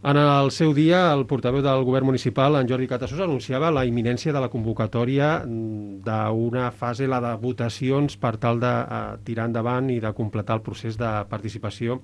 En el seu dia, el portaveu del govern municipal, en Jordi Catassos, anunciava la imminència de la convocatòria d'una fase, la de votacions, per tal de tirar endavant i de completar el procés de participació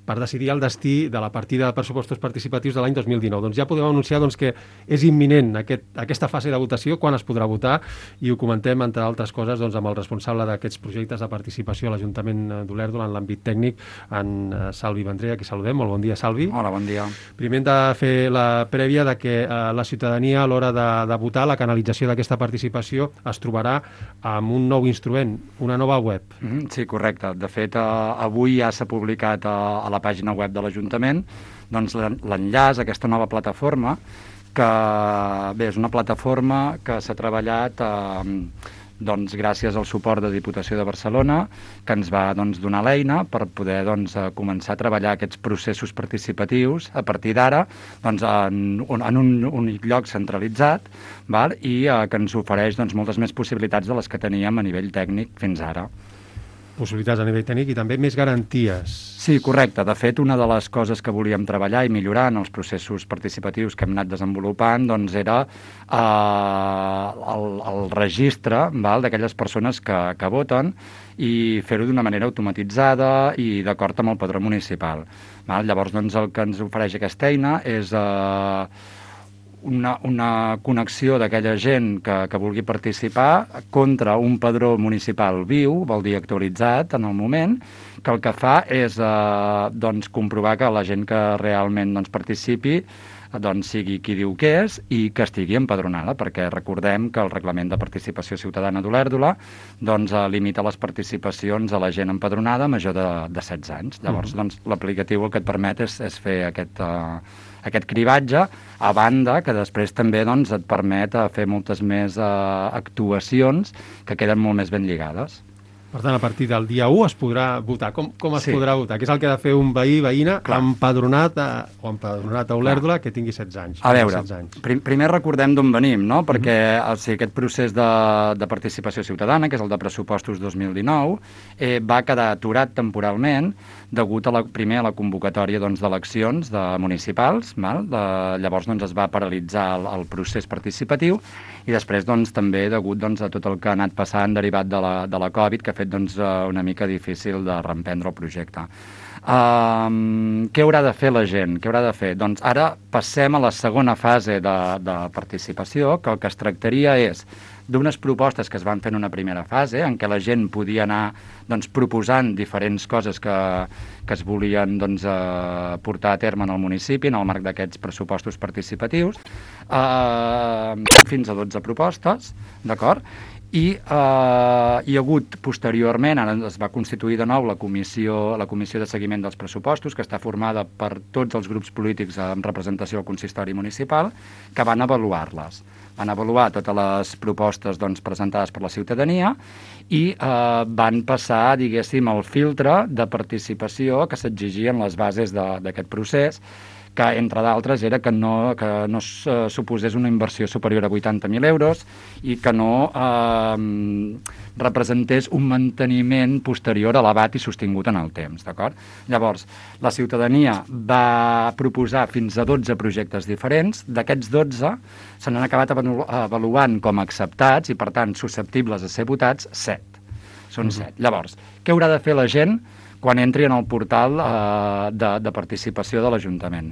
per decidir el destí de la partida de pressupostos participatius de l'any 2019. Doncs ja podem anunciar que és imminent aquesta fase de votació, quan es podrà votar, i ho comentem, entre altres coses, amb el responsable d'aquests projectes de participació a l'Ajuntament d'Olèrdola en l'àmbit tècnic, en Salvi Vendrell, a qui saludem. Molt bon dia, Salvi. Hola, bon dia. Primer hem de fer la prèvia de que la ciutadania, a l'hora de votar, la canalització d'aquesta participació es trobarà amb un nou instrument, una nova web. Sí, correcte. De fet, avui ja s'ha publicat a la pàgina web de l'Ajuntament l'enllaç a aquesta nova plataforma, que bé, és una plataforma que s'ha treballat gràcies al suport de Diputació de Barcelona, que ens va donar l'eina per poder començar a treballar aquests processos participatius a partir d'ara en un únic lloc centralitzat, i que ens ofereix moltes més possibilitats de les que teníem a nivell tècnic fins ara. Possibilitats a nivell tècnic i també més garanties. Sí, correcte. De fet, una de les coses que volíem treballar i millorar en els processos participatius que hem anat desenvolupant era el registre d'aquelles persones que voten i fer-ho d'una manera automatitzada i d'acord amb el padró municipal. Llavors, el que ens ofereix aquesta eina és una connexió d'aquella gent que vulgui participar contra un padró municipal viu, vol dir actualitzat en el moment, que el que fa és comprovar que la gent que realment participi sigui qui diu que és i que estigui empadronada, perquè recordem que el Reglament de Participació Ciutadana d'Olèrdola limita les participacions a la gent empadronada major de 16 anys. Llavors, l'aplicatiu el que et permet és fer aquest cribatge, a banda que després també et permet fer moltes més actuacions que queden molt més ben lligades. Per tant, a partir del dia 1 es podrà votar. Com es podrà votar? Què és el que ha de fer un veí, veïna, empadronat a Olèrdola, que tingui 16 anys? A veure, primer recordem d'on venim, no? Perquè aquest procés de participació ciutadana, que és el de pressupostos 2019, va quedar aturat temporalment degut primer a la convocatòria d'eleccions municipals. Llavors es va paralitzar el procés participatiu i després també degut a tot el que ha anat passant derivat de la Covid, que ha fet una mica difícil de reemprendre el projecte. Què haurà de fer la gent? Què haurà de fer? Doncs ara passem a la segona fase de participació, que el que es tractaria és d'unes propostes que es van fer en una primera fase, en què la gent podia anar proposant diferents coses que es volien portar a terme en el municipi, en el marc d'aquests pressupostos participatius, fins a 12 propostes, d'acord? I hi ha hagut posteriorment, ara es va constituir de nou la comissió de seguiment dels pressupostos, que està formada per tots els grups polítics amb representació al consistori municipal, que van avaluar-les. Van avaluar totes les propostes presentades per la ciutadania i van passar, diguéssim, el filtre de participació que s'exigien les bases d'aquest procés, que, entre d'altres, era que no suposés una inversió superior a 80.000 euros i que no representés un manteniment posterior elevat i sostingut en el temps, d'acord? Llavors, la ciutadania va proposar fins a 12 projectes diferents. D'aquests 12 se n'han acabat avaluant com a acceptats i, per tant, susceptibles a ser votats 7. Són 7. Llavors, què haurà de fer la gent quan entri en el portal de participació de l'Ajuntament?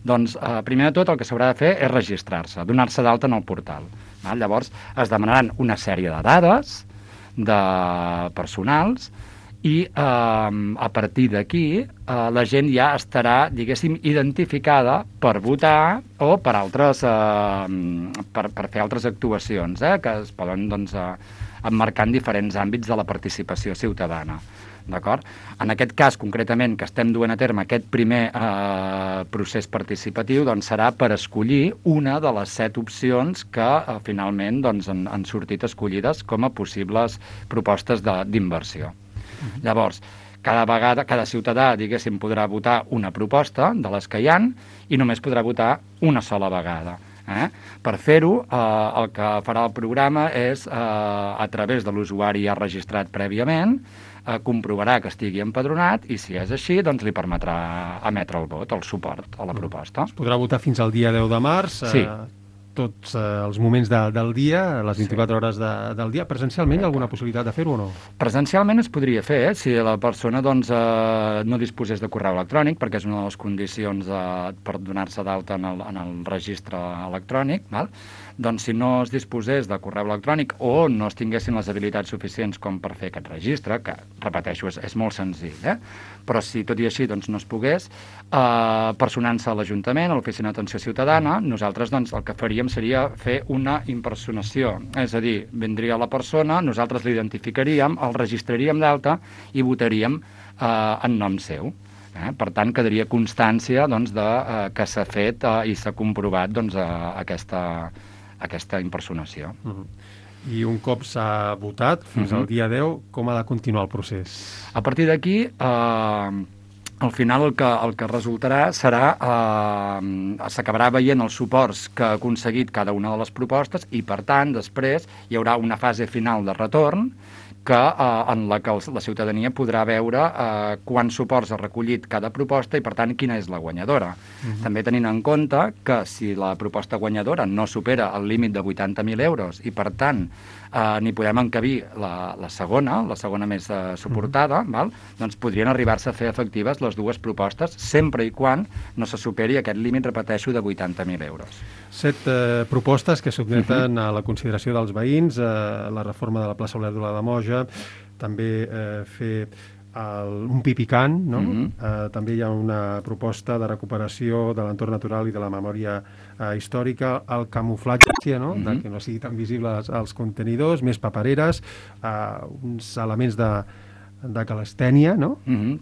Doncs, primer de tot, el que s'haurà de fer és registrar-se, donar-se d'alta en el portal. Llavors, es demanaran una sèrie de dades personals i a partir d'aquí la gent ja estarà, diguéssim, identificada per votar o per fer altres actuacions que es poden emmarcar en diferents àmbits de la participació ciutadana. D'acord? En aquest cas, concretament, que estem duent a terme aquest primer procés participatiu, serà per escollir una de les 7 opcions que finalment han sortit escollides com a possibles propostes d'inversió. Llavors, cada ciutadà, diguéssim, podrà votar una proposta de les que hi ha i només podrà votar una sola vegada. Per fer-ho, el que farà el programa és, a través de l'usuari ja registrat prèviament, comprovarà que estigui empadronat i, si és així, doncs li permetrà emetre el vot, el suport a la proposta. Es podrà votar fins al dia 10 de març, Sí. tots els moments del dia, les 24 hores del dia. Presencialment hi ha alguna possibilitat de fer-ho o no? Presencialment es podria fer, si la persona doncs, no disposés de correu electrònic, perquè és una de les condicions per donar-se d'alta en el registre electrònic, val? Doncs si no es disposés de correu electrònic o no es tinguessin les habilitats suficients com per fer aquest registre, que, repeteixo, és molt senzill, però si tot i així doncs, no es pogués, personant-se a l'Ajuntament, a l'Oficina d'Atenció Ciutadana, nosaltres doncs, el que faríem seria fer una impersonació, és a dir, vindria la persona, nosaltres l'identificaríem, el registraríem d'alta i votaríem en nom seu. Per tant, quedaria constància doncs, que s'ha fet i s'ha comprovat doncs, aquesta impersonació. I un cop s'ha votat, fins al dia 10, com ha de continuar el procés? A partir d'aquí, al final el que resultarà serà s'acabarà veient els suports que ha aconseguit cada una de les propostes i, per tant, després hi haurà una fase final de retorn en la que la ciutadania podrà veure quants suports ha recollit cada proposta i, per tant, quina és la guanyadora. També tenint en compte que si la proposta guanyadora no supera el límit de 80.000 euros i, per tant, n'hi podem encabir la segona més suportada, doncs podrien arribar-se a fer efectives les dues propostes sempre i quan no se superi aquest límit, repeteixo, de 80.000 euros. 7 propostes que sotmeten a la consideració dels veïns, la reforma de la plaça Olèrdola de Moja, també fer un pi picant, no? També hi ha una proposta de recuperació de l'entorn natural i de la memòria històrica, el camuflatge, no? De que no sigui tan visible els contenidors, més papereres, uns elements de calistènia, no?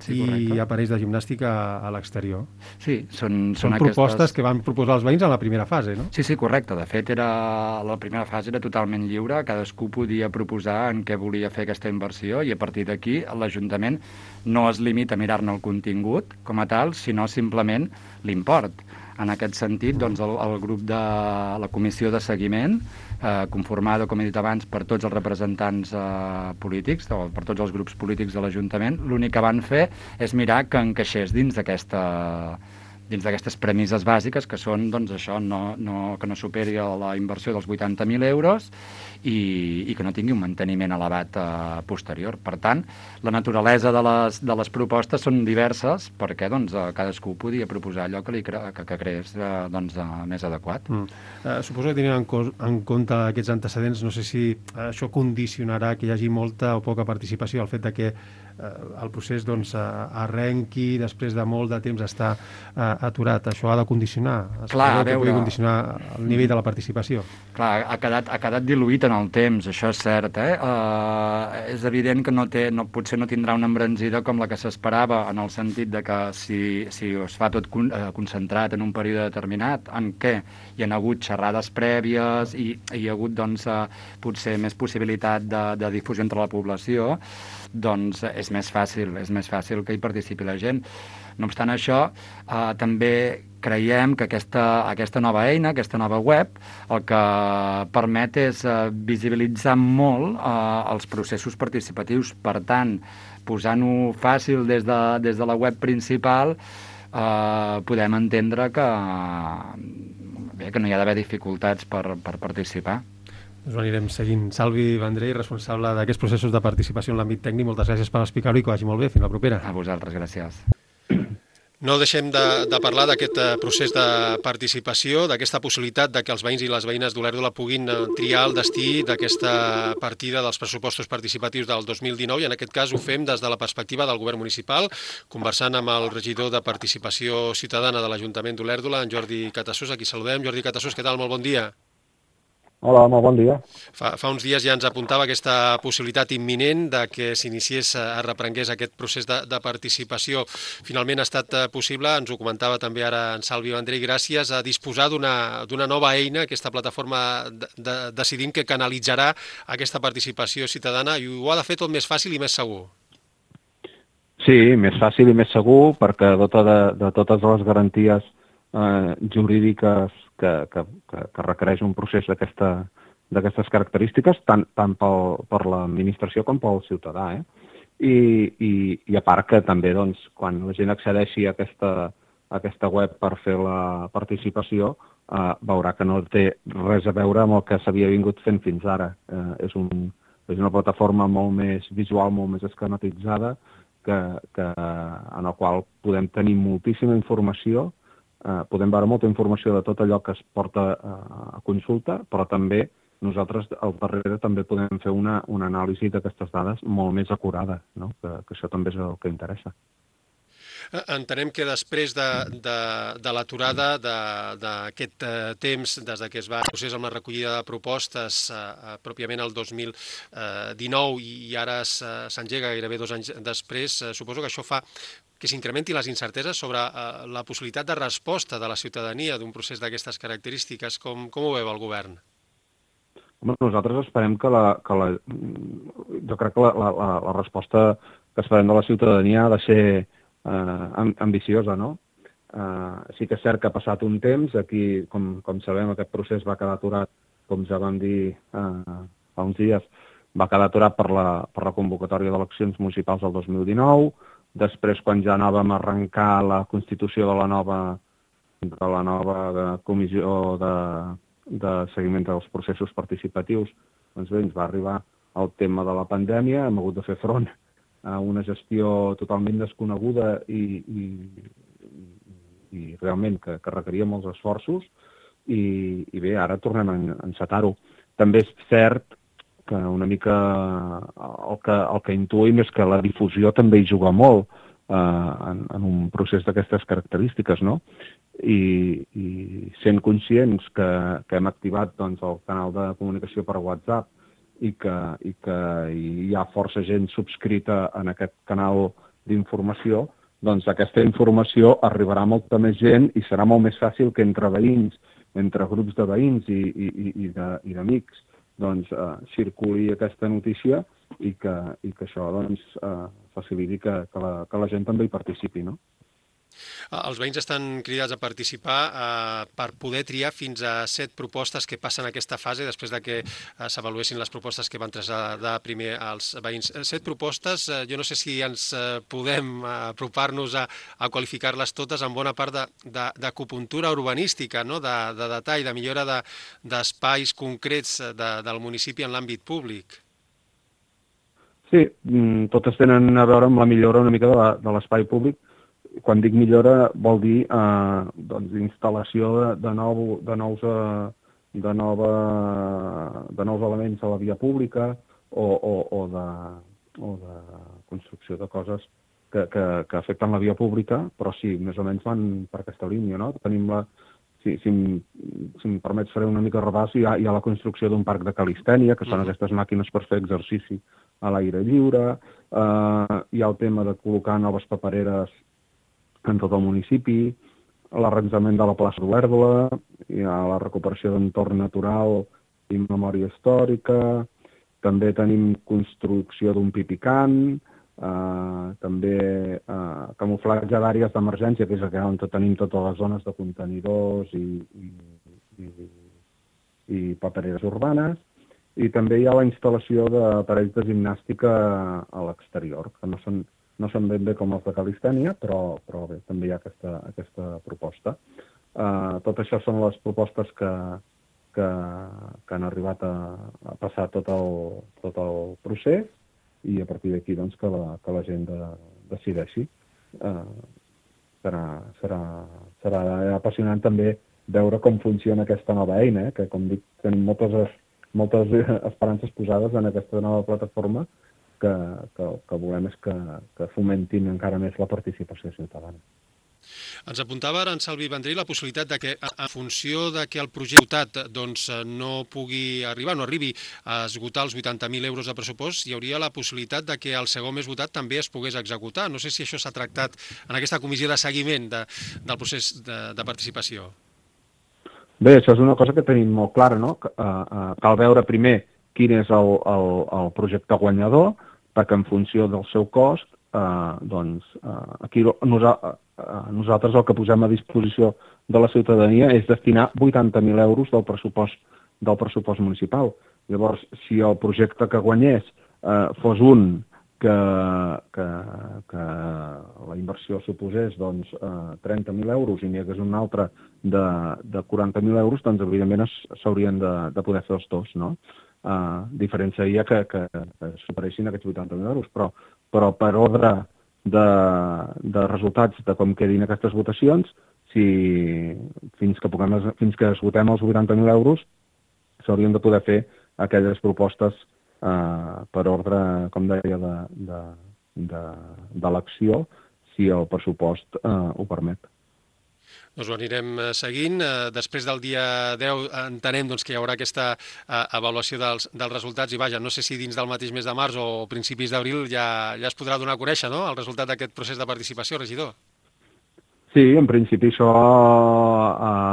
Sí, i aparells de gimnàstica a l'exterior. Sí, són propostes que van proposar els veïns en la primera fase, no? Sí, correcte. De fet, la primera fase era totalment lliure, cadascú podia proposar en què volia fer aquesta inversió i a partir d'aquí l'Ajuntament no es limita a mirar-ne el contingut com a tal, sinó simplement l'import. En aquest sentit, doncs, el grup de la comissió de seguiment, conformada, com he dit abans, per tots els representants polítics, per tots els grups polítics de l'Ajuntament, l'únic que van fer és mirar que encaixés dins d'aquestes premisses bàsiques, que són doncs, això, que no superi la inversió dels 80.000 euros i que no tingui un manteniment elevat posterior. Per tant, la naturalesa de les propostes són diverses perquè doncs, cadascú podia proposar allò que creés doncs, més adequat. Suposo que tenint en compte aquests antecedents, no sé si això condicionarà que hi hagi molta o poca participació, el fet de que el procés doncs, arrenqui després de molt de temps estar aturat. Això ha de condicionar? Clar, que pugui condicionar el nivell de la participació? Clar, ha quedat diluït en el temps, això és cert. És evident que potser no tindrà una embranzida com la que s'esperava, en el sentit de que si es fa tot concentrat en un període determinat, en què hi ha hagut xerrades prèvies i hi ha hagut doncs, potser més possibilitat de difusió entre la població, doncs és més fàcil que hi participi la gent. No obstant això, també creiem que aquesta nova eina, aquesta nova web, el que permet és visibilitzar molt els processos participatius. Per tant, posant-ho fàcil des de la web principal, podem entendre que no hi ha d'haver dificultats per participar. Doncs anirem seguint. Salvi Vendrell, responsable d'aquests processos de participació en l'àmbit tècnic, moltes gràcies per explicar-ho i que vagi molt bé. Fins la propera. A vosaltres, gràcies. No deixem de parlar d'aquest procés de participació, d'aquesta possibilitat de que els veïns i les veïnes d'Olèrdola puguin triar el destí d'aquesta partida dels pressupostos participatius del 2019 i en aquest cas ho fem des de la perspectiva del govern municipal, conversant amb el regidor de Participació Ciutadana de l'Ajuntament d'Olèrdola, en Jordi Catassós, a qui saludem. Jordi Catassós, què tal? Molt bon dia. Hola, molt bon dia. Fa uns dies ja ens apuntava aquesta possibilitat imminent de que s'iniciés, es reprengués aquest procés de participació. Finalment ha estat possible, ens ho comentava també ara en Salvi Vendrell, gràcies a disposar d'una nova eina, aquesta plataforma Decidim, que canalitzarà aquesta participació ciutadana i ho ha de fer tot més fàcil i més segur. Sí, més fàcil i més segur, perquè dota de totes les garanties jurídiques que requereix un procés d'aquestes característiques, tant per l'administració com pel ciutadà. i a part que també doncs, quan la gent accedeixi a aquesta web per fer la participació veurà que no té res a veure amb el que s'havia vingut fent fins ara. És una plataforma molt més visual, molt més esquematitzada, en la qual podem tenir moltíssima informació, podem veure molta informació de tot allò que es porta a consulta, però també nosaltres al darrere també podem fer una anàlisi d'aquestes dades molt més acurada, no? Que això també és el que interessa. Entenem que després de l'aturada d'aquest temps, des que es va procés amb la recollida de propostes pròpiament el 2019 i ara s'engega gairebé 2 anys després, suposo que això fa que s'incrementi les incerteses sobre la possibilitat de resposta de la ciutadania d'un procés d'aquestes característiques. Com ho veu el govern? Nosaltres esperem jo crec que la resposta que esperem de la ciutadania ha de ser ambiciosa, no? Sí que és cert que ha passat un temps, aquí, com sabem, aquest procés va quedar aturat, com ja vam dir fa uns dies, va quedar aturat per la convocatòria d'eleccions municipals del 2019, després quan ja anàvem a arrencar la constitució de la nova comissió de seguiment dels processos participatius, doncs bé, ens va arribar el tema de la pandèmia, hem hagut de fer front a una gestió totalment desconeguda i realment que requeria molts esforços i bé, ara tornem a encetar-ho. També és cert que una mica el que intuïm és que la difusió també hi juga molt en un procés d'aquestes característiques, no? I sent conscients que hem activat doncs, el canal de comunicació per WhatsApp i que hi ha força gent subscrita en aquest canal d'informació, doncs aquesta informació arribarà a molta més gent i serà molt més fàcil que entre veïns, entre grups de veïns i d'amics, doncs circuli aquesta notícia i que això doncs, faciliti que la gent també hi participi, no? Els veïns estan cridats a participar per poder triar fins a 7 propostes que passen aquesta fase després de que s'avaluessin les propostes que van traslladar primer als veïns. 7 propostes, jo no sé si ens podem apropar-nos a qualificar-les totes en bona part d'acupuntura urbanística, no? de detall, de millora d'espais concrets del municipi en l'àmbit públic. Sí, totes tenen a veure amb la millora una mica de l'espai públic. Quan dic millora vol dir doncs, instal·lació de nous elements a la via pública o de construcció de coses que afecten la via pública, però sí, més o menys van per aquesta línia, no? Tenim si em permets faré una mica de repàs, hi ha la construcció d'un parc de calistènia, que són aquestes màquines per fer exercici a l'aire lliure, hi ha el tema de col·locar noves papereres en tot el municipi, l'arranjament de la plaça d'Olèrdola, hi ha la recuperació d'entorn natural i memòria històrica, també tenim construcció d'un pipicant, també camuflatge d'àrees d'emergència, que és on tenim totes les zones de contenidors i papereres urbanes, i també hi ha la instal·lació d'aparells de gimnàstica a l'exterior, que no són ben bé com els de calistènia, però bé, també hi ha aquesta proposta. Tot això són les propostes que han arribat a passar tot el procés i a partir d'aquí doncs, que la gent decideixi. Serà apassionant també veure com funciona aquesta nova eina, que com dic, tenim moltes esperances posades en aquesta nova plataforma que volem és que fomentin encara més la participació ciutadana. Ens apuntava ara en Salvi Vendrell la possibilitat de que, en funció de que el projecte doncs, no pugui arribar, no arribi a esgotar els 80.000 euros de pressupost, hi hauria la possibilitat de que el segon més votat també es pogués executar. No sé si això s'ha tractat en aquesta comissió de seguiment del procés de participació. Bé, això és una cosa que tenim molt clara, no? Cal veure primer quin és el projecte guanyador, perquè en funció del seu cost, doncs aquí nosaltres el que posem a disposició de la ciutadania és destinar 80.000 euros del pressupost municipal. Llavors, si el projecte que guanyés fos un que la inversió suposés doncs, 30.000 euros i n'hi hagués una altra de 40.000 euros, doncs evidentment s'haurien de poder fer els dos, no? Diferència seria que superessin aquests 80.000 euros, però per ordre de resultats de com quedin aquestes votacions, fins que esgotem els 80.000 euros, s'haurien de poder fer aquelles propostes per ordre, com deia, d'elecció, si el pressupost ho permet. Doncs ho anirem seguint. Després del dia 10 entenem doncs, que hi haurà aquesta avaluació dels resultats i vaja, no sé si dins del mateix mes de març o principis d'abril ja es podrà donar a conèixer, no?, el resultat d'aquest procés de participació, regidor. Sí, en principi això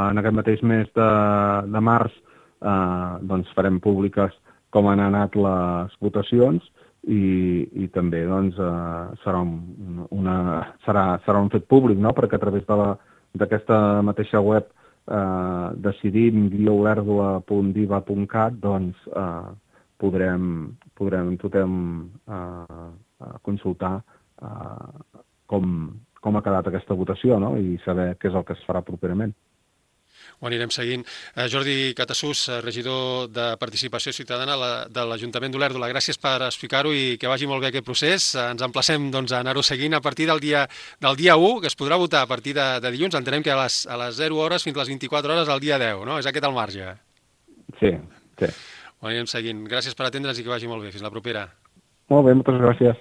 en aquest mateix mes de març doncs farem públiques com han anat les votacions i també doncs, serà un fet públic, no?, perquè a través d'aquesta mateixa web decidim-olèrdola.diva.cat doncs podrem tothom consultar com ha quedat aquesta votació, no?, i saber què és el que es farà properament. Ho anirem seguint. Jordi Catasús, regidor de Participació Ciutadana de l'Ajuntament d'Olèrdola, gràcies per explicar-ho i que vagi molt bé aquest procés. Ens emplacem doncs, a anar-ho seguint a partir del dia 1, que es podrà votar a partir de dilluns. Entenem que a les 0 hores fins a les 24 hores al dia 10, no? És aquest el marge? Sí. Ho anirem seguint. Gràcies per atendre'ns i que vagi molt bé. Fins la propera. Molt bé, moltes gràcies.